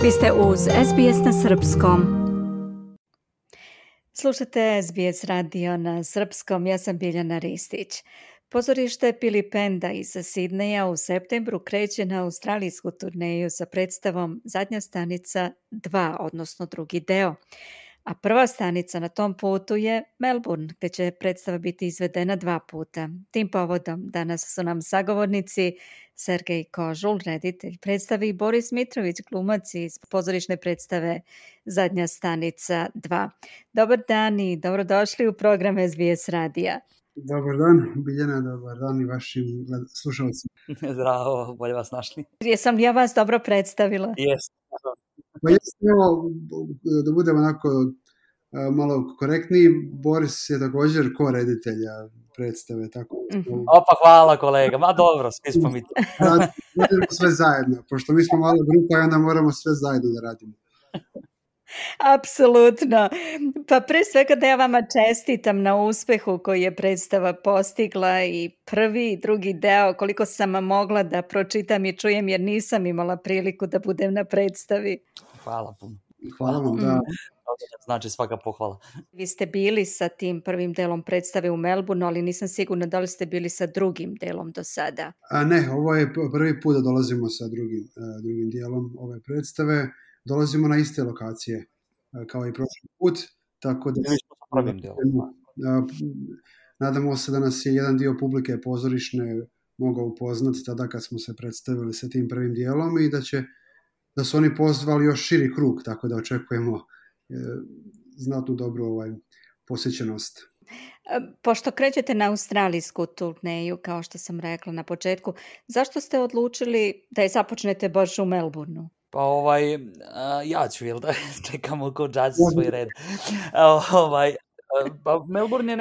Vi ste uz SBS na srpskom. Slušate SBS radio na srpskom, ja sam Biljana Ristić. Pozorište Pilipenda iz Sidneja u septembru kreće na australijsku turneju sa predstavom Zadnja stanica 2, odnosno drugi deo. A prva stanica na tom putu je Melbourne, gdje će predstava biti izvedena 2 puta. Tim povodom danas su nam sagovornici Sergej Kožul, reditelj predstave, i Boris Mitrović, glumac iz pozorišne predstave Zadnja stanica 2. Dobar dan i dobrodošli u program SBS radija. Dobar dan, Biljana, dobar dan i vašim slušalcima. Zdravo, bolje vas našli. Jesam li ja vas dobro predstavila? Jes. Pa evo, da budemo onako malo korektniji, Boris je također ko-reditelja predstave. Tako. Opa, hvala kolega, ma dobro, svi smo mi to. Radimo sve zajedno, pošto mi smo mala grupa i onda moramo sve zajedno da radimo. Apsolutno. Pa pre svega da ja vama čestitam na uspehu koji je predstava postigla, i prvi i drugi deo, koliko sam mogla da pročitam i čujem, jer nisam imala priliku da budem na predstavi. Hvala puno. Hvala vam, da. Znači svaka pohvala. Vi ste bili sa tim prvim delom predstave u Melbourneu, ali nisam sigurna da li ste bili sa drugim delom do sada. Ne, ovo je prvi put da dolazimo sa drugim dijelom ove predstave. Dolazimo na iste lokacije kao i prošli put, tako da nadamo se da nas je jedan dio publike pozorišne mogao upoznati tada kad smo se predstavili sa tim prvim dijelom i da su oni pozvali još širi krug, tako da očekujemo znatnu dobru posjećenost. Pošto krećete na australijsku turneju, kao što sam rekla na početku, zašto ste odlučili da je započnete baš u Melbourneu? Pa ja ću, jel da čekamo ko džađi svoj red. Pa Melbourne je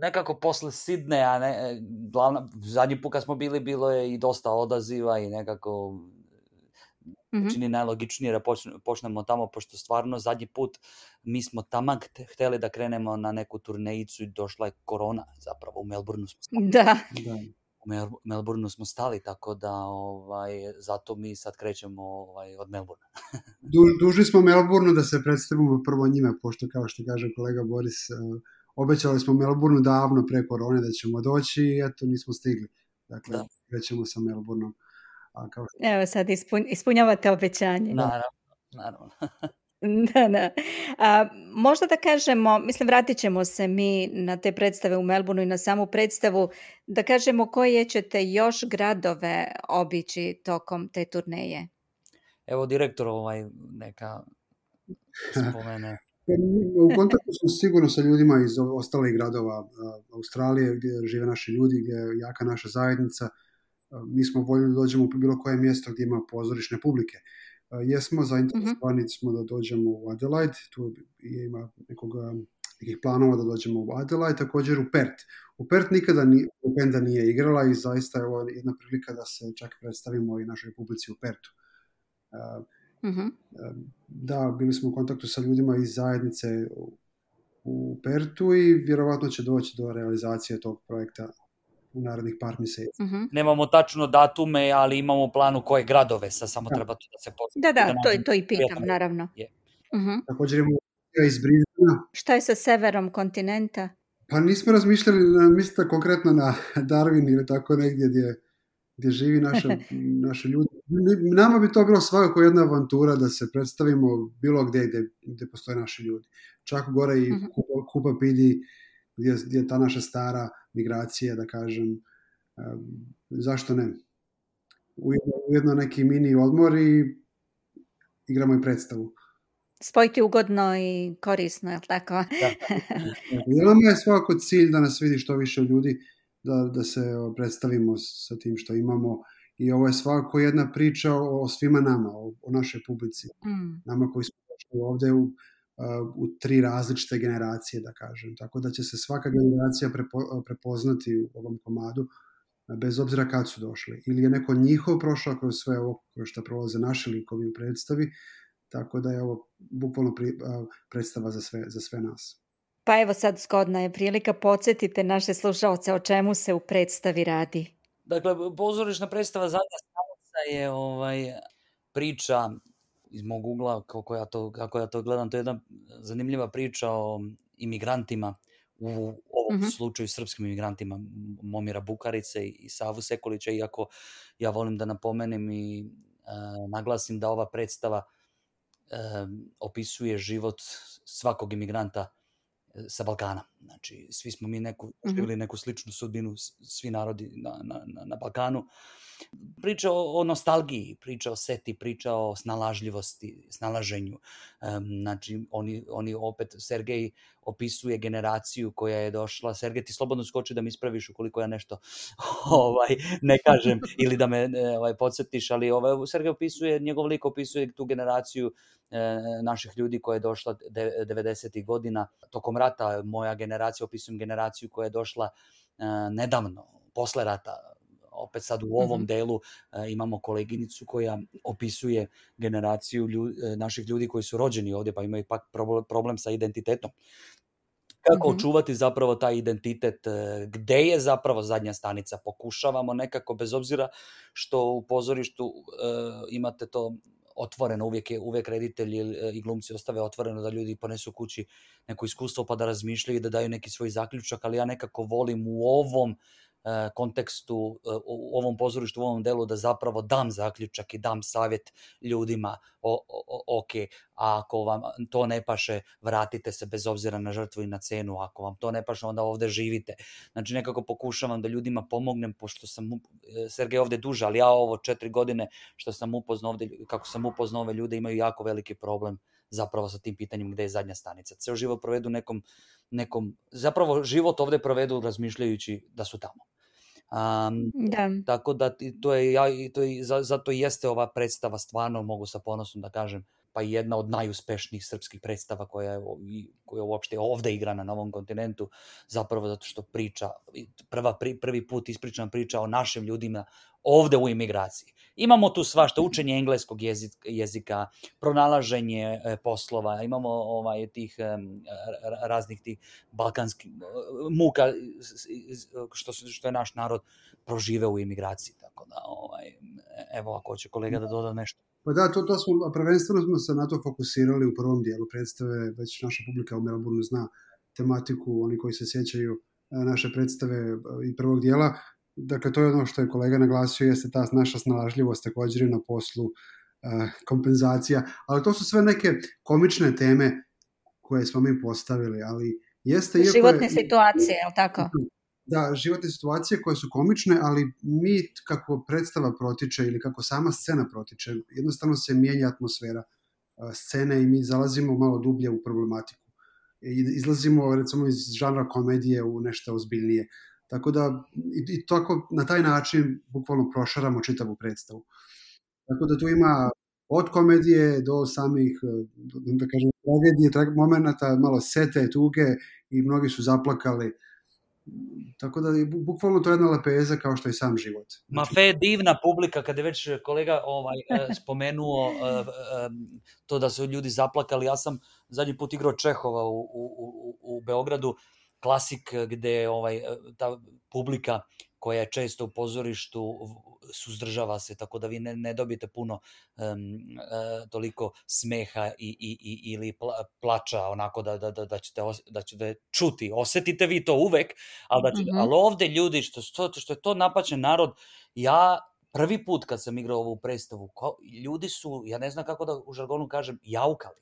nekako posle Sidneja, zadnji put kad smo bili, bilo je i dosta odaziva i nekako čini najlogičnije da počnemo tamo, pošto stvarno zadnji put mi smo taman hteli da krenemo na neku turnejicu i došla je korona zapravo u Melbourneu. U Melbourneu smo stali, tako da zato mi sad krećemo od Melbournea. Dužni smo Melbourneu da se predstavimo prvo njima, pošto kao što kaže kolega Boris, obećali smo Melbourneu davno pre korone da ćemo doći i eto nismo stigli. Dakle, krećemo sa Melbourneom. Evo sad ispunjavate obećanje. Naravno. Da. Možda da kažemo, vratit ćemo se mi na te predstave u Melbourneu i na samu predstavu, da kažemo koje ćete još gradove obići tokom te turneje. Evo direktor neka spomene. U kontaktu smo sigurno sa ljudima iz ostalih gradova Australije gdje žive naši ljudi, gdje je jaka naša zajednica. Mi smo voljeli da dođemo u bilo koje mjesto gdje ima pozorišne publike. Jesmo zainteresovani smo da dođemo u Adelaide, tu ima nekih planova da dođemo u Adelaide, također u Perth. U Perth nikada Pilipenda nije igrala i zaista je ovo jedna prilika da se čak predstavimo i našoj publici u Perthu. Da, bili smo u kontaktu sa ljudima iz zajednice u Perthu i vjerovatno će doći do realizacije tog projekta u narednih par mjeseci. Nemamo tačno datume, ali imamo u planu koje gradove, samo treba to da se postavimo. Da, to i pitam, naravno. Također imamo iz Brisbanea. Šta je sa severom kontinenta? Pa nismo razmišljali, mislite konkretno na Darwin ili tako negdje gdje živi naše ljudi. Nama bi to bilo svakako jedna avantura da se predstavimo bilo gdje postoje naši ljudi. Čak gore i Kupa Pidi, gdje je ta naša stara migracija, da kažem, zašto ne? Ujedno neki mini odmor i igramo i predstavu. Spojiti ugodno i korisno, je li tako? Nama je svakako cilj da nas vidi što više ljudi, da se predstavimo sa tim što imamo i ovo je svakako jedna priča o svima nama, o našoj publici. Nama koji smo došli ovdje u 3 različite generacije, da kažem. Tako da će se svaka generacija prepoznati u ovom komadu, bez obzira kad su došli. Ili je neko njihov prošao kroz sve ovo kroz što prolaze naši likovi u predstavi, tako da je ovo bukvalno predstava za sve nas. Pa evo sad zgodna je prilika, podsjetite naše slušalce o čemu se u predstavi radi. Dakle, pozorišna predstava Zadnja stanica je priča iz mog ugla, kako ja to gledam, to je jedna zanimljiva priča o imigrantima, u ovom slučaju srpskim imigrantima, Momira Bukarice i Savu Sekulića, iako ja volim da napomenem i naglasim da ova predstava opisuje život svakog imigranta sa Balkana. Znači, svi smo mi živjeli neku sličnu sudbinu, svi narodi na Balkanu. Priča o nostalgiji, priča o seti, priča o snalažljivosti, snalaženju. Znači, oni opet, Sergej opisuje generaciju koja je došla. Sergej, ti slobodno skoči da mi ispraviš ukoliko ja nešto ne kažem ili da me podsjetiš, ali Sergej opisuje, njegov lik opisuje tu generaciju naših ljudi koja je došla 90. godina. Tokom rata, moja generacija, opisujem generaciju koja je došla nedavno, posle rata. Opet sad u ovom delu imamo koleginicu koja opisuje generaciju naših ljudi koji su rođeni ovdje, pa imaju pak problem sa identitetom. Kako očuvati zapravo taj identitet, gde je zapravo zadnja stanica? Pokušavamo nekako, bez obzira što u pozorištu imate to otvoreno, uvijek reditelji i glumci ostave otvoreno da ljudi ponesu kući neko iskustvo pa da razmišljaju i da daju neki svoj zaključak, ali ja nekako volim u ovom kontekstu, u ovom pozorištu, u ovom delu da zapravo dam zaključak i dam savjet ljudima, ok, a ako vam to ne paše, vratite se bez obzira na žrtvu i na cenu, ako vam to ne paše, onda ovdje živite. Znači nekako pokušavam da ljudima pomognem, pošto sam Sergej ovdje duže, ali ja ovo 4 godine što sam upoznao ovdje, kako sam upoznao ove ljude, imaju jako veliki problem zapravo sa tim pitanjem gde je zadnja stanica. Ceo život provedu nekom, zapravo život ovdje provedu razmišljajući da su tamo. Tako da zato jeste ova predstava, stvarno mogu sa ponosom da kažem, pa jedna od najuspešnijih srpskih predstava koja uopšte ovdje igra na Novom kontinentu, zapravo zato što priča, prvi put ispričana priča o našim ljudima ovdje u imigraciji. Imamo tu svašta, učenje engleskog jezika, pronalaženje poslova, imamo tih raznih tih balkanskih muka što je naš narod proživeo u imigraciji. Tako da, evo ako hoće kolega da doda nešto. Pa da, to smo, prvenstveno smo se na to fokusirali u prvom dijelu predstave, već naša publika u Melbourneu zna tematiku, oni koji se sjećaju naše predstave i prvog dijela. Dakle, to je ono što je kolega naglasio, jeste ta naša snalažljivost također na poslu, kompenzacija, ali to su sve neke komične teme koje smo mi postavili, ali jeste... Životne situacije, je li tako? Da, životne situacije koje su komične, ali mi kako predstava protiče ili kako sama scena protiče, jednostavno se mijenja atmosfera scene i mi zalazimo malo dublje u problematiku. Izlazimo recimo iz žanra komedije u nešto ozbiljnije. Tako da i tako na taj način bukvalno prošaramo čitavu predstavu. Tako da tu ima od komedije do samih, da kažem, tragedije, momenata, malo sete, tuge i mnogi su zaplakali. Tako da bukvalno to je jedna lepeza kao što je sam život. Ma fe divna publika, kada je već kolega spomenuo to da su ljudi zaplakali. Ja sam zadnji put igrao Čehova u Beogradu, klasik gde ta publika koja je često u pozorištu suzdržava se, tako da vi ne dobijete puno toliko smeha ili plača, onako da ćete čuti. Osetite vi to uvek, ali ovde ljudi, što je to napaćen narod, ja prvi put kad sam igrao ovu predstavu, ljudi su, ja ne znam kako da u žargonu kažem, jaukali.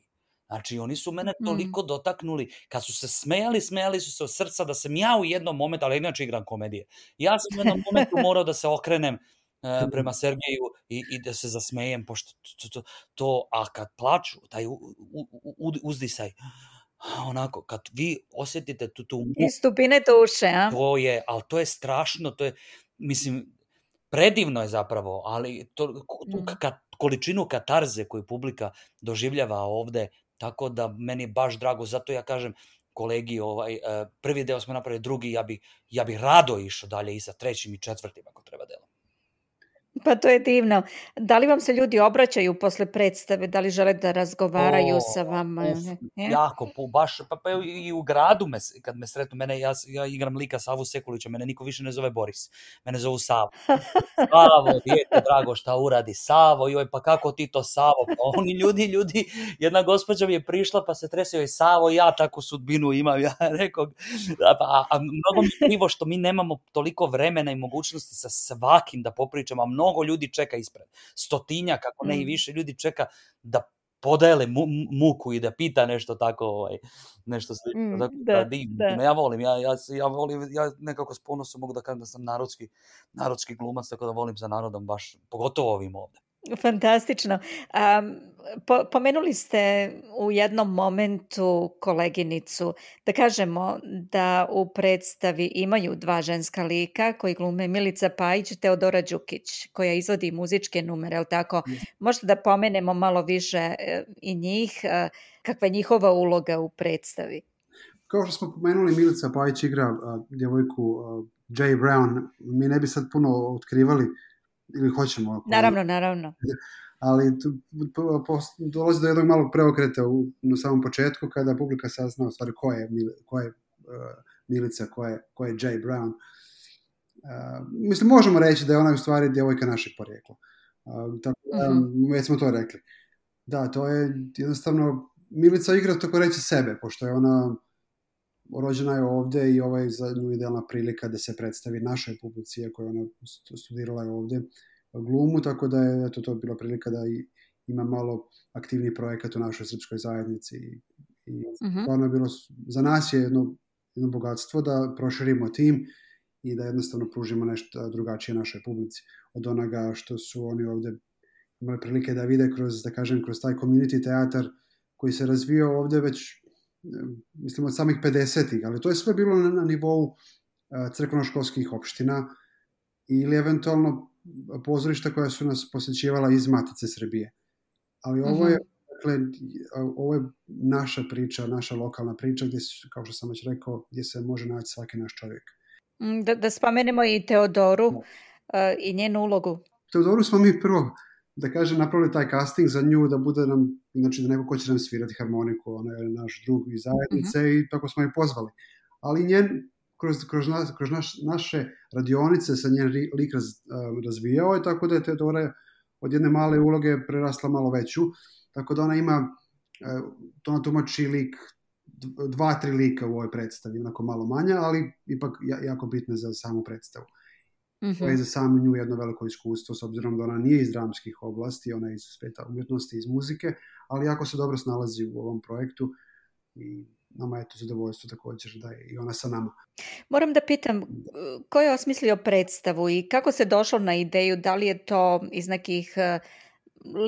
Znači, oni su mene toliko dotaknuli, kad su se smejali su se od srca, da sam ja u jednom momentu, ali inače igram komedije, ja sam u jednom momentu morao da se okrenem prema Sergeju i da se zasmejem, pošto to, a kad plaču, taj uzdisaj, onako, kad vi osjetite tu iz dubine duše, a? Ali to je strašno, to je, mislim, predivno je zapravo, ali količinu katarze koju publika doživljava ovde, tako da meni je baš drago, zato ja kažem kolegi, prvi deo smo napravili, drugi, ja bih rado išao dalje i sa trećim i četvrtim ako treba delom. Pa to je divno. Da li vam se ljudi obraćaju posle predstave? Da li žele da razgovaraju sa vama? Jako, baš, pa i u gradu kad me sretnu, ja igram lika Savu Sekulića, mene niko više ne zove Boris, mene zovu Savo. Savo, dijete drago, šta uradi Savo, joj, pa kako ti to Savo, pa oni ljudi, jedna gospođa mi je prišla pa se trese, joj Savo, ja takvu sudbinu imam, ja rekao, a mnogo mi je krivo što mi nemamo toliko vremena i mogućnosti sa svakim da popričamo, a mnogo ljudi čeka ispred, 100-tinjak, ako ne i više ljudi čeka da podele muku i da pita nešto tako, nešto slično. Da. Ja volim, ja nekako s ponosom mogu da kažem da sam narodski glumac, tako da volim za narodom baš, pogotovo ovim ovde. Fantastično. Pomenuli ste u jednom momentu koleginicu, da kažemo da u predstavi imaju 2 ženska lika koji glume Milica Pajić i Teodora Đukić, koja izvodi muzičke numere, ali tako? Možete da pomenemo malo više i njih, kakva je njihova uloga u predstavi? Kao što smo pomenuli, Milica Pajić igra djevojku Jay Brown. Mi ne bi sad puno otkrivali, ili hoćemo? Naravno. Ali dolazi do jednog malog preokreta na samom početku, kada publika sazna u stvari ko je Milica, ko je Jay Brown. Mislim, možemo reći da je ona u stvari djevojka našeg porijekla. Tako da, već smo to rekli. Da, to je jednostavno, Milica igra tako reći sebe, pošto je ona rođena je ovdje i ovo je za nju idealna prilika da se predstavi našoj publici, iako je ona studirala je ovdje glumu, tako da je to bila prilika da ima malo aktivni projekat u našoj srpskoj zajednici i stvarno je bilo, za nas je jedno bogatstvo da proširimo tim i da jednostavno pružimo nešto drugačije našoj publici od onoga što su oni ovdje imali prilike da vide kroz taj community teatar koji se razvio ovdje već mislim od samih 50-ih, ali to je sve bilo na nivou crkveno-školskih opština ili eventualno pozorišta koja su nas posjećivala iz Matice Srbije. Ali ovo je, ovo je naša priča, naša lokalna priča gdje, kao što sam već rekao, gdje se može naći svaki naš čovjek. Da spomenemo i Teodoru i njenu ulogu. Teodoru smo mi prvo, da kažem, napravili taj casting za nju, da bude nam, znači da neko ko će nam svirati harmoniku, ona je naš drug iz zajednice i tako smo je pozvali. Ali njen, kroz naše radionice se njen lik razvijao je, tako da je Teodora od jedne male uloge prerasla malo veću, tako da ona ima, to ona tumači lik, 2-3 lika u ovoj predstavi, onako malo manja, ali ipak jako bitne za samu predstavu. To je za samu nju jedno veliko iskustvo, s obzirom da ona nije iz dramskih oblasti, ona je iz sveta umjetnosti, iz muzike, ali jako se dobro snalazi u ovom projektu i nama je to zadovoljstvo također da je i ona sa nama. Moram da pitam, ko je osmislio predstavu i kako se došlo na ideju, da li je to iz nekih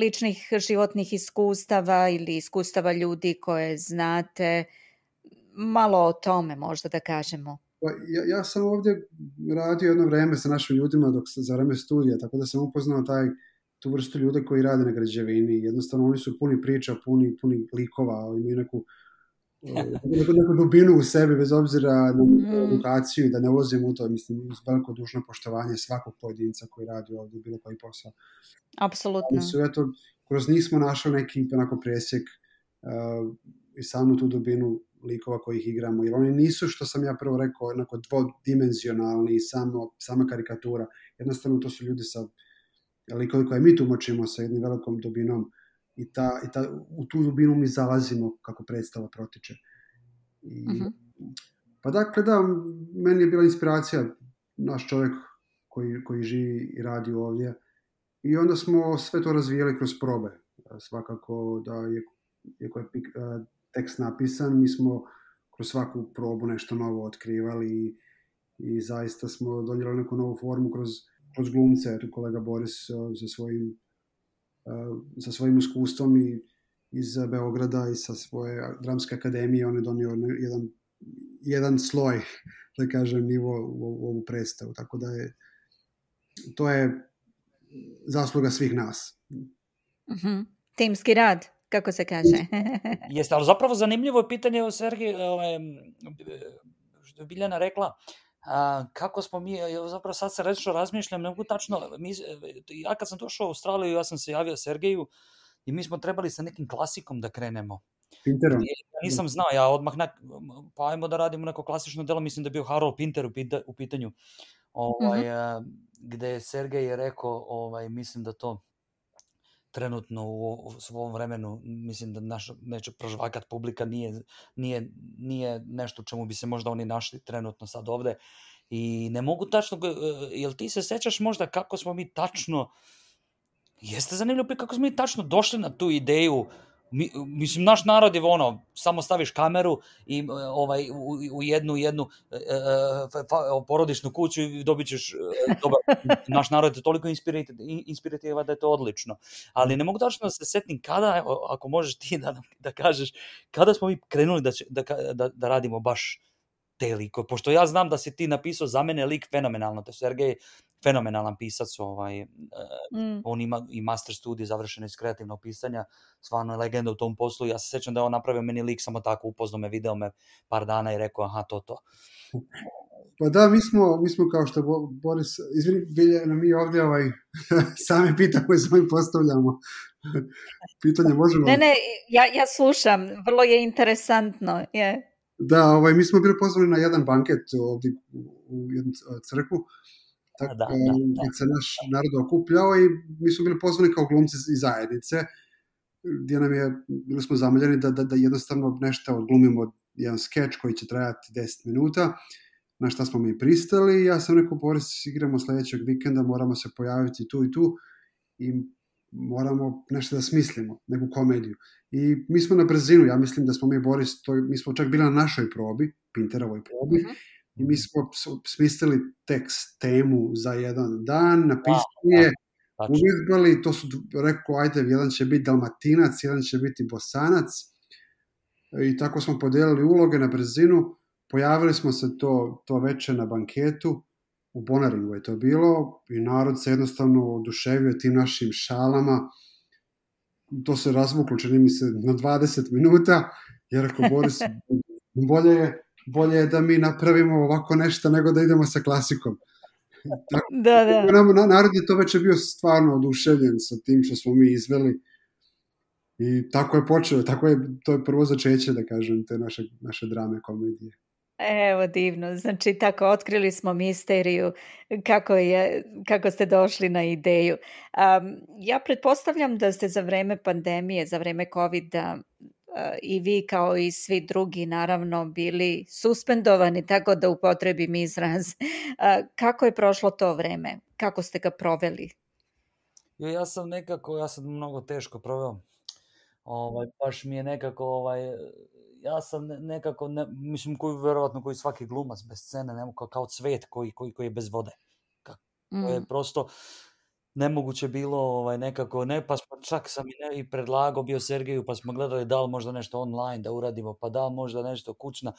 ličnih životnih iskustava ili iskustava ljudi koje znate, malo o tome možda da kažemo. Ja sam ovdje radio jedno vreme sa našim ljudima za vreme studija, tako da sam upoznao tu vrstu ljude koji rade na građevini. Jednostavno oni su puni priča, puni likova, imaju neku dubinu u sebi, bez obzira na edukaciju i da ne ulazim u to, mislim, uz veliko dužno poštovanje svakog pojedinca koji radi ovdje bilo koji posao. Apsolutno. Kroz njih smo našli neki onako presjek i samu tu dubinu likova kojih igramo, jer oni nisu, što sam ja prvo rekao, onako dvodimenzionalni i sama karikatura. Jednostavno to su ljudi sa likovi koje mi tumačimo sa jednim velikom dubinom i u tu dubinu mi zalazimo kako predstava protiče. Pa dakle, da, meni je bila inspiracija naš čovjek koji živi i radi ovdje i onda smo sve to razvijeli kroz probe. Svakako da je tekst napisan, mi smo kroz svaku probu nešto novo otkrivali i zaista smo donijeli neku novu formu kroz glumce. Kolega Boris sa svojim iskustvom i iz Beograda i sa svoje dramske akademije on je donio jedan sloj, da kažem, nivo u ovu predstavu. Tako da to je zasluga svih nas. Timski rad, kako se kaže. Jeste, ali zapravo zanimljivo je pitanje, Sergej, što je Biljana rekla, kako smo mi, zapravo sad se rečno razmišljam, ne mogu tačno, ja kad sam došao u Australiju, ja sam se javio Sergeju i mi smo trebali sa nekim klasikom da krenemo. Pinterom. Ja nisam znao, ja odmah, pa ajmo da radimo neko klasično delo, mislim da je bio Harold Pinter u pitanju, gde je Sergej rekao, mislim da to trenutno u svom vremenu, mislim da neće prožvakat publika, nije nešto čemu bi se možda oni našli trenutno sad ovde. I ne mogu tačno, jel ti se sećaš možda kako smo mi tačno, jeste zanimljivo kako smo mi tačno došli na tu ideju, mislim, naš narod je samo staviš kameru i u jednu porodičnu kuću i dobit ćeš naš narod je toliko inspirativan da je to odlično. Ali ne mogu tačno da se setim kada, ako možeš ti da kažeš, kada smo mi krenuli da radimo baš te likove, pošto ja znam da si ti napisao za mene lik fenomenalno, to je Sergej fenomenalan pisac, on ima i master studij završeno iz kreativnog pisanja, stvarno je legenda u tom poslu. Ja se sećam da je on napravio meni lik samo tako, upoznao me, video me par dana i rekao aha, to. Pa da, mi smo kao što Boris, izvini, Biljana, mi ovdje sami pitamo i sami postavljamo pitanje, možemo... Ne, ja slušam, vrlo je interesantno, je. Da, mi smo bili pozvani na jedan banket ovdje u jednu crkvu, gdje se naš narod okupljao i mi smo bili pozvani kao glumci iz zajednice, gdje bili smo zamoljeni da jednostavno nešto odglumimo, jedan skeč koji će trajati 10 minuta, na šta smo mi pristali. Ja sam rekao, Boris, igramo sljedećeg vikenda, moramo se pojaviti tu i tu i moramo nešto da smislimo, neku komediju. I mi smo na brzinu, ja mislim da smo mi, Boris, mi smo čak bili na našoj probi, Pinterovoj probi, i mi smo smislili tekst, temu za jedan dan, napisali je, uvježbali, to su rekao, ajde, jedan će biti Dalmatinac, jedan će biti Bosanac, i tako smo podijelili uloge na brzinu, pojavili smo se to večer na banketu, u Bonaringu je to bilo, i narod se jednostavno oduševio tim našim šalama, to se razvuklo, čini mi se, na 20 minuta, jer ako Boris, bolje je da mi napravimo ovako nešto nego da idemo sa klasikom. Da. Narod je to već bio stvarno oduševljen sa tim što smo mi izveli i tako je počeo, to je prvo začeće, da kažem, te naše drame, komedije. Evo, divno. Znači, tako otkrili smo misteriju kako ste došli na ideju. Ja pretpostavljam da ste za vreme pandemije, za vreme COVID-a, i vi kao i svi drugi naravno bili suspendovani, tako da upotrebim izraz. Kako je prošlo to vreme? Kako ste ga proveli? Ja sam mnogo teško proveo. Baš mi je nekako, ja sam nekako, mislim, verovatno koji svaki glumac bez scene, kao cvet koji je bez vode. To je prosto nemoguće bilo nekako, pa smo čak sam i predlagao bio Sergeju, pa smo gledali da li možda nešto online da uradimo, pa da li možda nešto kućna,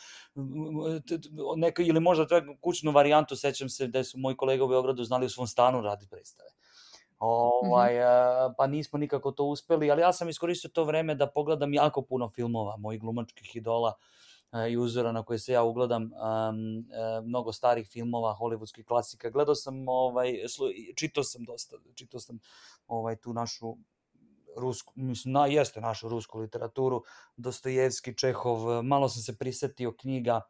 ili možda kućnu varijantu, sećam se da su moji kolega u Beogradu znali u svom stanu raditi predstave. Pa nismo nikako to uspeli, ali ja sam iskoristio to vreme da pogledam jako puno filmova, mojih glumačkih idola i uzora na koje se ja ugledam, mnogo starih filmova, hollywoodskih klasika. Gledao sam, čitao sam dosta, tu našu rusku, mislim, jeste našu rusku literaturu, Dostojevski, Čehov, malo sam se prisetio knjiga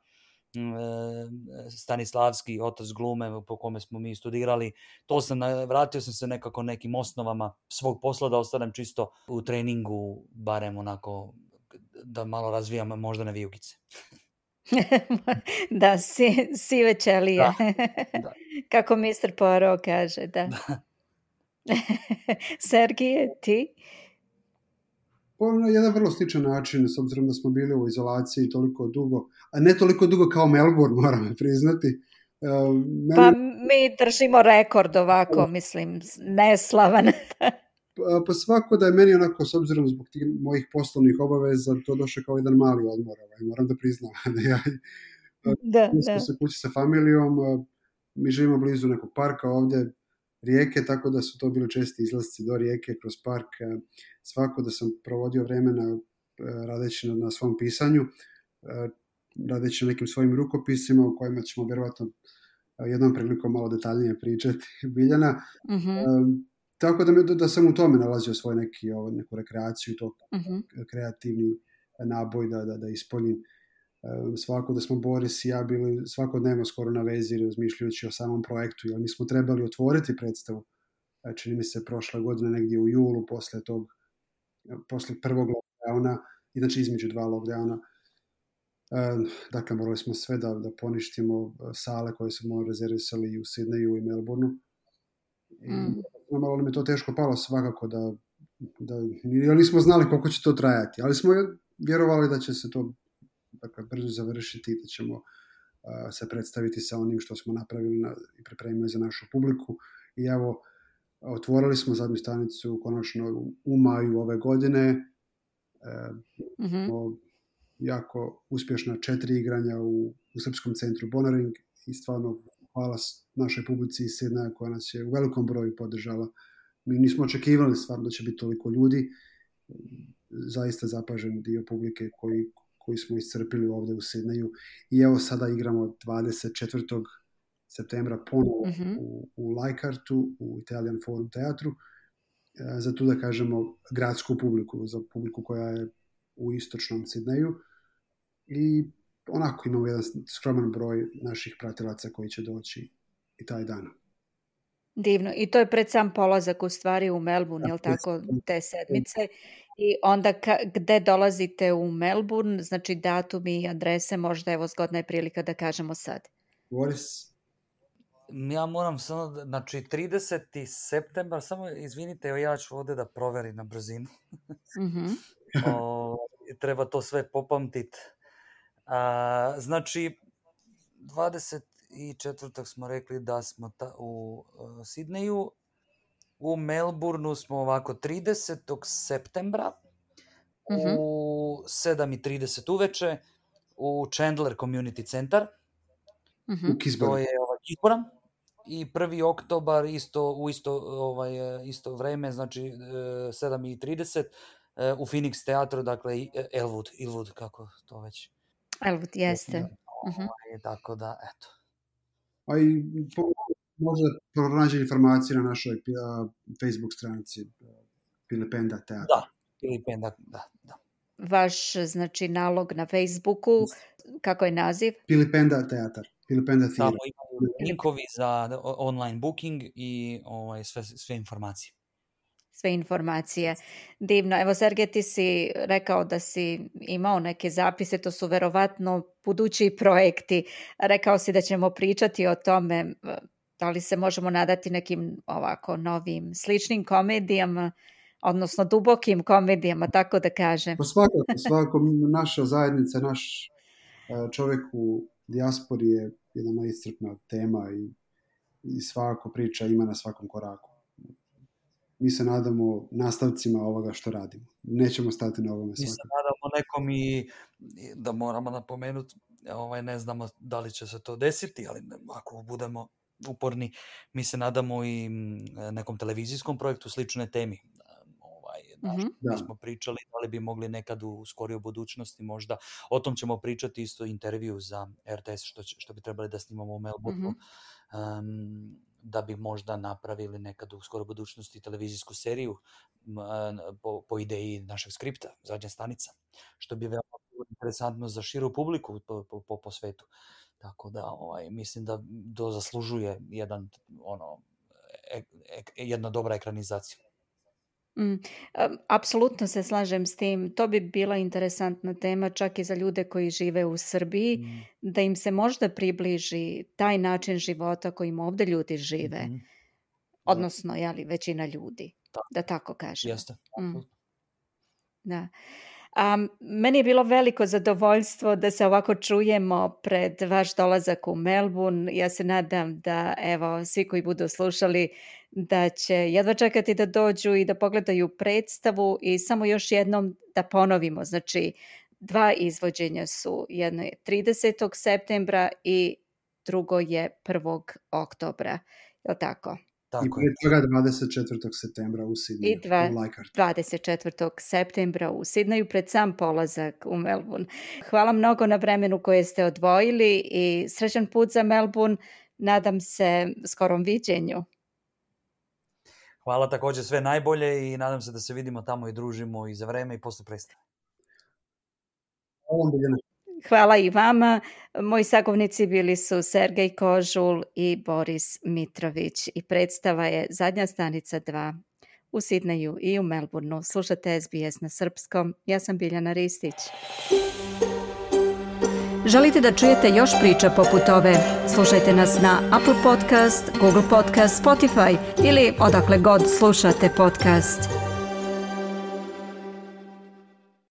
Stanislavski, Otac glume, po kome smo mi studirali. Vratio sam se nekako nekim osnovama svog posla, da ostanem čisto u treningu, barem onako da malo razvijam moždane vijugice. Da, sive ćelije. Da. Kako Mr. Poirot kaže, da. Sergije, ti? Na jedan vrlo sličan način, s obzirom da smo bili u izolaciji toliko dugo, a ne toliko dugo kao Melbourne, moram priznati. Pa mi držimo rekord ovako, mislim, neslavan. Pa svako da je meni onako, s obzirom zbog tih mojih poslovnih obaveza, to došlo kao jedan mali odmor, moram da priznam. Mi smo se kući sa familijom, mi živimo blizu nekog parka ovdje, rijeke, tako da su to bili česti izlasci do rijeke kroz park. Svako da sam provodio vremena radeći na svom pisanju, radeći na nekim svojim rukopisima u kojima ćemo vjerovatno jednom prilikom malo detaljnije pričati, Biljana. Tako da sam u tome nalazio svoj neku rekreaciju, to kreativni naboj da ispoljim. Svako da smo Boris i ja bili svakodnevno skoro na vezi razmišljajući o samom projektu, jer mi smo trebali otvoriti predstavu, čini mi se prošla godina negdje u julu posle prvog lockdowna, znači između 2 lockdowna. Dakle, morali smo sve da poništimo sale koje smo rezervisali i u Sidneju i Melbourneu. Malo mi je to teško palo svakako jer nismo znali koliko će to trajati, ali smo vjerovali da će se to brzo završiti i da ćemo se predstaviti sa onim što smo napravili i pripremili za našu publiku. I evo, otvorili smo zadnju stanicu konačno u maju ove godine. Jako uspješna 4 igranja u Srpskom centru Bonaring i stvarno hvala našoj publici iz Sidneja koja nas je u velikom broju podržala. Mi nismo očekivali stvarno da će biti toliko ljudi. Zaista zapažen dio publike koji smo iscrpili ovdje u Sidneju. I evo sada igramo 24. septembra ponovo u Leichhardtu, u Italian Forum teatru, za tu da kažemo gradsku publiku, za publiku koja je u istočnom Sidneju. I onako imamo jedan skroman broj naših pratilaca koji će doći i taj dan. Divno. I to je pred sam polazak u stvari u Melbourne, je li tako, te sedmice? I onda gde dolazite u Melbourne, znači datumi i adrese, možda evo zgodna je prilika da kažemo sad. Boris? Ja moram samo, znači 30. septembar, samo izvinite, ja ću ovdje da proverim na brzinu. Treba to sve popamtiti. Znači, 24. smo rekli da smo u Sidneju, u Melbourneu smo ovako 30. septembra u 7:30 uveče u Chandler Community Centar. To je Kisbora. I 1. oktobar u isto vreme, znači 7:30 u Phoenix teatru, dakle Elwood, kako to već. Elwood, jeste. Tako da, eto. A i možda pronađe informacije na našoj Facebook stranici Pilipenda teatra. Da, Pilipenda, da. Vaš, znači, nalog na Facebooku, kako je naziv? Pilipenda teatar, Pilipenda theater. Tamo imaju linkovi za online booking i sve informacije. Sve informacije. Divno. Evo, Sergej, ti si rekao da si imao neke zapise, to su verovatno budući projekti. Rekao si da ćemo pričati o tome, da li se možemo nadati nekim ovako novim, sličnim komedijama, odnosno dubokim komedijama, tako da kažem. Pa svakako naša zajednica, naš čovjek u dijaspori je jedna neiscrpna tema i svakako priča ima na svakom koraku. Mi se nadamo nastavcima ovoga što radimo. Nećemo stati na ovome svakako. Mi se nadamo nekom i da moramo napomenuti, ne znamo da li će se to desiti, ali ako budemo uporni, mi se nadamo i nekom televizijskom projektu slične temi. Mi smo pričali da li bi mogli nekad u skorijoj budućnosti možda, o tom ćemo pričati isto intervju za RTS što bi trebali da snimamo u Melbourneu, da bi možda napravili nekad u skoroj budućnosti televizijsku seriju po ideji našeg skripta, Zadnja stanica, što bi veoma interesantno za širu publiku po svetu. Tako da mislim da to zaslužuje jedna dobra ekranizacija. Apsolutno se slažem s tim. To bi bila interesantna tema čak i za ljude koji žive u Srbiji, da im se možda približi taj način života kojim ovdje ljudi žive. Odnosno, većina ljudi, da tako kažem. Jeste. Da. Meni je bilo veliko zadovoljstvo da se ovako čujemo pred vaš dolazak u Melbourne. Ja se nadam da svi koji budu slušali da će jedva čekati da dođu i da pogledaju predstavu i samo još jednom da ponovimo. Znači, 2 izvođenja su. Jedno je 30. septembra i drugo je 1. oktobra. Je li tako? I prije toga 24. septembra u Sidneju. I 24. septembra u Sidneju pred sam polazak u Melbourne. Hvala mnogo na vremenu koje ste odvojili i srećan put za Melbourne. nadam se skorom viđenju. Hvala, također sve najbolje i nadam se da se vidimo tamo i družimo i za vreme i posle predstave. Hvala i vama. Moji sagovornici bili su Sergej Kožul i Boris Mitrović i predstava je Zadnja stanica 2 u Sidneju i u Melbourneu. Slušate SBS na srpskom. Ja sam Biljana Ristić. Želite da čujete još priča poput ove? Slušajte nas na Apple Podcast, Google Podcast, Spotify ili odakle god slušate podcast.